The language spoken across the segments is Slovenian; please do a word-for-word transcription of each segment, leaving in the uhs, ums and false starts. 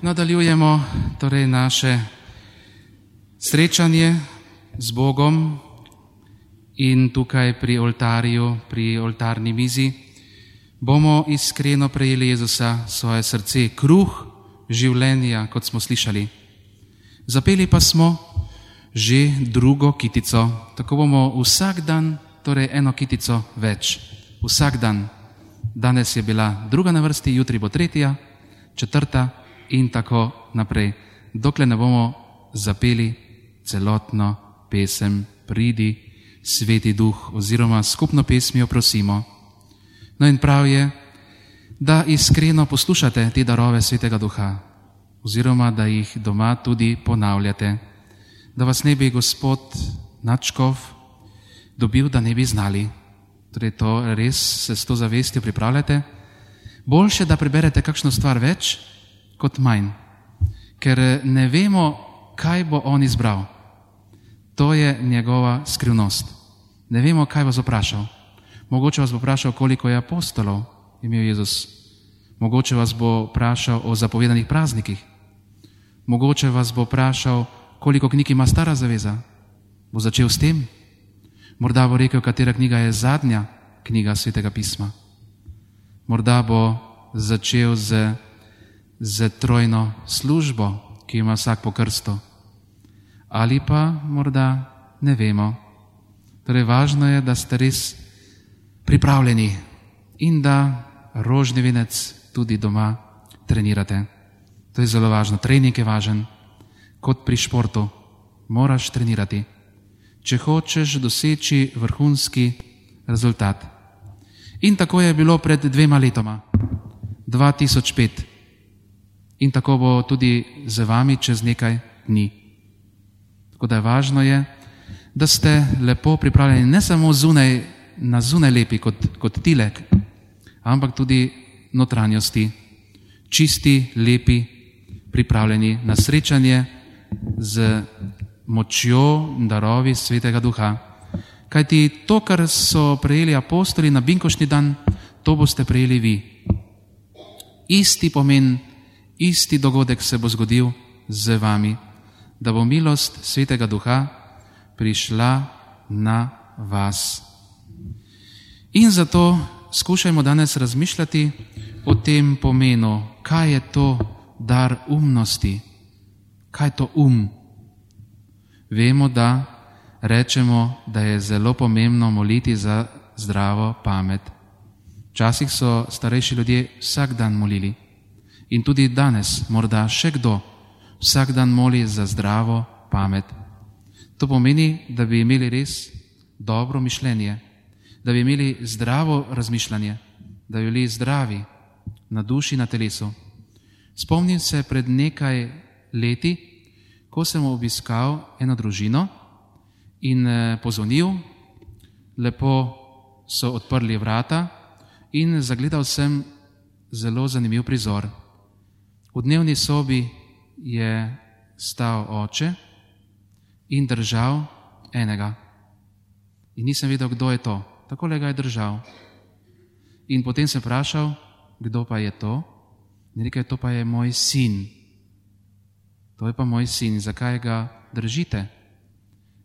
Nadaljujemo torej naše srečanje z Bogom in tukaj pri oltarju, pri oltarni mizi bomo iskreno prejeli Jezusa svoje srce, kruh življenja, kot smo slišali. Zapeli pa smo že drugo kitico, tako bomo vsak dan, torej eno kitico več. Vsak dan. Danes je bila druga na vrsti, jutri bo tretja, četrta in tako naprej. Dokler ne bomo zapeli celotno pesem Pridi, Sveti Duh, oziroma skupno pesmijo prosimo. No in prav je, da iskreno poslušate te darove Svetega Duha, oziroma da jih doma tudi ponavljate, da vas ne bi Gospod nadškof dobil, da ne bi znali. Torej to res se s to zavestjo pripravljate. Boljše, da preberete kakšno stvar več, kot manj, ker ne vemo, kaj bo on izbral. To je njegova skrivnost. Ne vemo, kaj vas vprašal. Mogoče vas bo vprašal, koliko je apostolov imel Jezus. Mogoče vas bo vprašal o zapovedanih praznikih. Mogoče vas bo vprašal, koliko knjig ima Stara zaveza. Bo začel s tem? Morda bo rekel, katera knjiga je zadnja knjiga Svetega pisma. Morda bo začel z, z trojno službo, ki ima vsak po krstu. Ali pa morda ne vemo. Torej važno je, da ste res pripravljeni in da rožni venec tudi doma trenirate. To je zelo važno. Trening je važen. Kot pri športu. Moraš trenirati, če hočeš doseči vrhunski rezultat. In tako je bilo pred dvema letoma, dva tisoč pet. In tako bo tudi z vami čez nekaj dni. Tako da je važno je, da ste lepo pripravljeni, ne samo zunaj, na zunaj lepi kot, kot tilek, ampak tudi notranjosti, čisti, lepi, pripravljeni na srečanje z močjo darovi Svetega Duha. Kajti to, kar so prejeli apostoli na binkoštni dan, to boste prejeli vi. Isti pomen, isti dogodek se bo zgodil z vami, da bo milost Svetega Duha prišla na vas. In zato skušajmo danes razmišljati o tem pomenu, kaj je to dar umnosti, kaj je to um. Vemo, da rečemo, da je zelo pomembno moliti za zdravo pamet. Včasih so starejši ljudje vsak dan molili in tudi danes morda še kdo vsak dan moli za zdravo pamet. To pomeni, da bi imeli res dobro mišljenje, da bi imeli zdravo razmišljanje, da bi bili zdravi na duši, na telesu. Spomnim se pred nekaj leti, ko sem obiskal eno družino in pozvonil, lepo so odprli vrata in zagledal sem zelo zanimiv prizor. V dnevni sobi je stal oče in držal enega. In nisem vedel, kdo je to. Takole ga je držal. In potem sem vprašal, kdo pa je to? In rekel, to pa je moj sin. To je pa moj sin. Zakaj ga držite?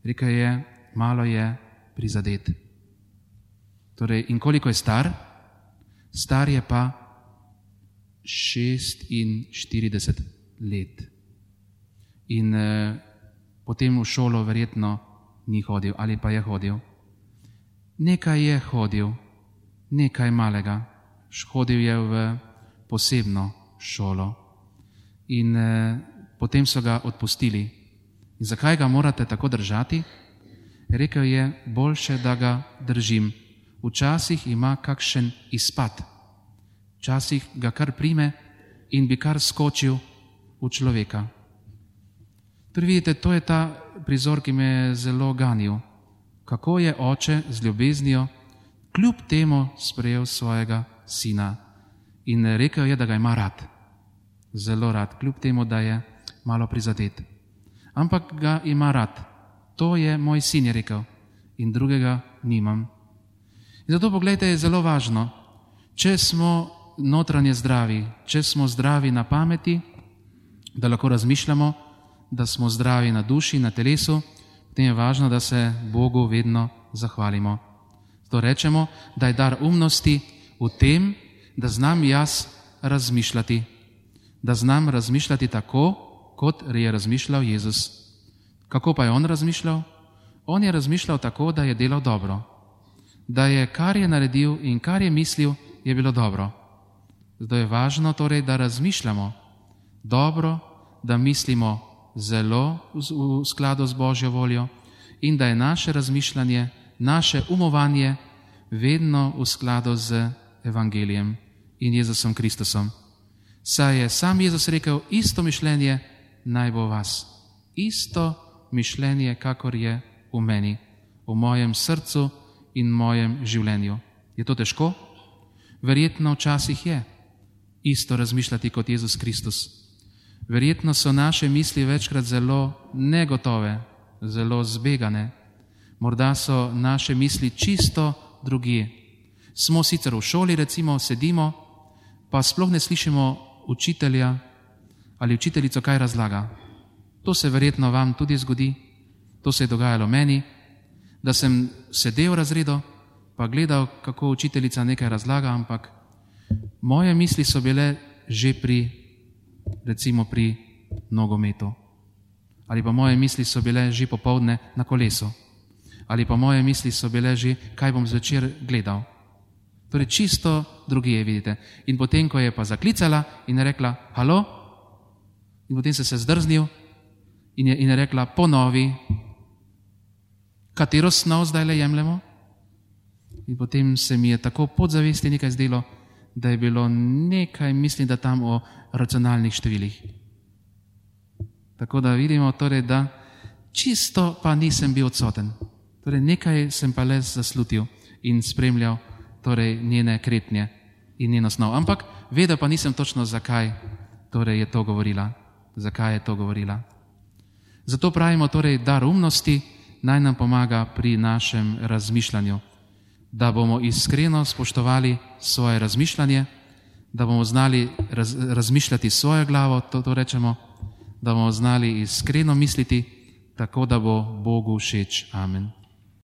Rekel je, malo je prizadet. Torej, in koliko je star? Star je pa šestinštirideset let. In eh, potem v šolo verjetno ni hodil, ali pa je hodil. Nekaj je hodil, nekaj malega. Hodil je v posebno šolo. In eh, potem so ga odpustili. In zakaj ga morate tako držati? Rekel je, boljše, da ga držim. Včasih ima kakšen izpad. Včasih ga kar prime in bi kar skočil v človeka. Torej vidite, to je ta prizor, ki me je zelo ganil. Kako je oče z ljubeznijo kljub temu sprejel svojega sina. In rekel je, da ga ima rad. Zelo rad, kljub temu, da je malo prizadet. Ampak ga ima rad. To je moj sin, je rekel. In drugega nimam. In zato pogledajte, je zelo važno, če smo notranje zdravi, če smo zdravi na pameti, da lahko razmišljamo, da smo zdravi na duši, na telesu, potem je važno, da se Bogu vedno zahvalimo. Zato rečemo, da je dar umnosti v tem, da znam jaz razmišljati, da znam razmišljati tako, kot je razmišljal Jezus. Kako pa je on razmišljal? On je razmišljal tako, da je delal dobro, da je kar je naredil in kar je mislil, je bilo dobro. Zato je važno torej, da razmišljamo dobro, da mislimo zelo v skladu z Božjo voljo in da je naše razmišljanje, naše umovanje vedno v skladu z Evangelijem in Jezusom Kristusom. Saj je sam Jezus rekel, isto mišljenje naj bo vas. Isto mišljenje, kakor je v meni, v mojem srcu in mojem življenju. Je to težko? Verjetno včasih je isto razmišljati kot Jezus Kristus. Verjetno so naše misli večkrat zelo negotove, zelo zbegane. Morda so naše misli čisto drugje. Smo sicer v šoli, recimo, sedimo, pa sploh ne slišimo učitelja ali učiteljico, kaj razlaga. To se verjetno vam tudi zgodi, to se je dogajalo meni, da sem sedel v razredu, pa gledal, kako učiteljica nekaj razlaga, ampak moje misli so bile že pri, recimo pri nogometu. Ali pa moje misli so bile že popoldne na kolesu. Ali pa moje misli so bile že, kaj bom zvečer gledal. Torej čisto drugje, vidite. In potem, ko je pa zaklicala in je rekla, halo, in potem se se zdrznil in je, in je rekla, ponovi, katero snov zdaj le jemljemo? In potem se mi je tako podzavesti nekaj zdelo, da je bilo nekaj, mislim, da tam o racionalnih številih. Tako da vidimo torej, da čisto pa nisem bil odsoten. Torej nekaj sem pa le zaslutil in spremljal torej njene kretnje in njeno snov. Ampak vedel pa nisem točno, zakaj torej je to govorila. Zakaj je to govorila. Zato pravimo torej, dar umnosti naj nam pomaga pri našem razmišljanju, da bomo iskreno spoštovali svoje razmišljanje, da bomo znali raz, razmišljati svojo glavo, to, to rečemo, da bomo znali iskreno misliti, tako da bo Bogu všeč. Amen.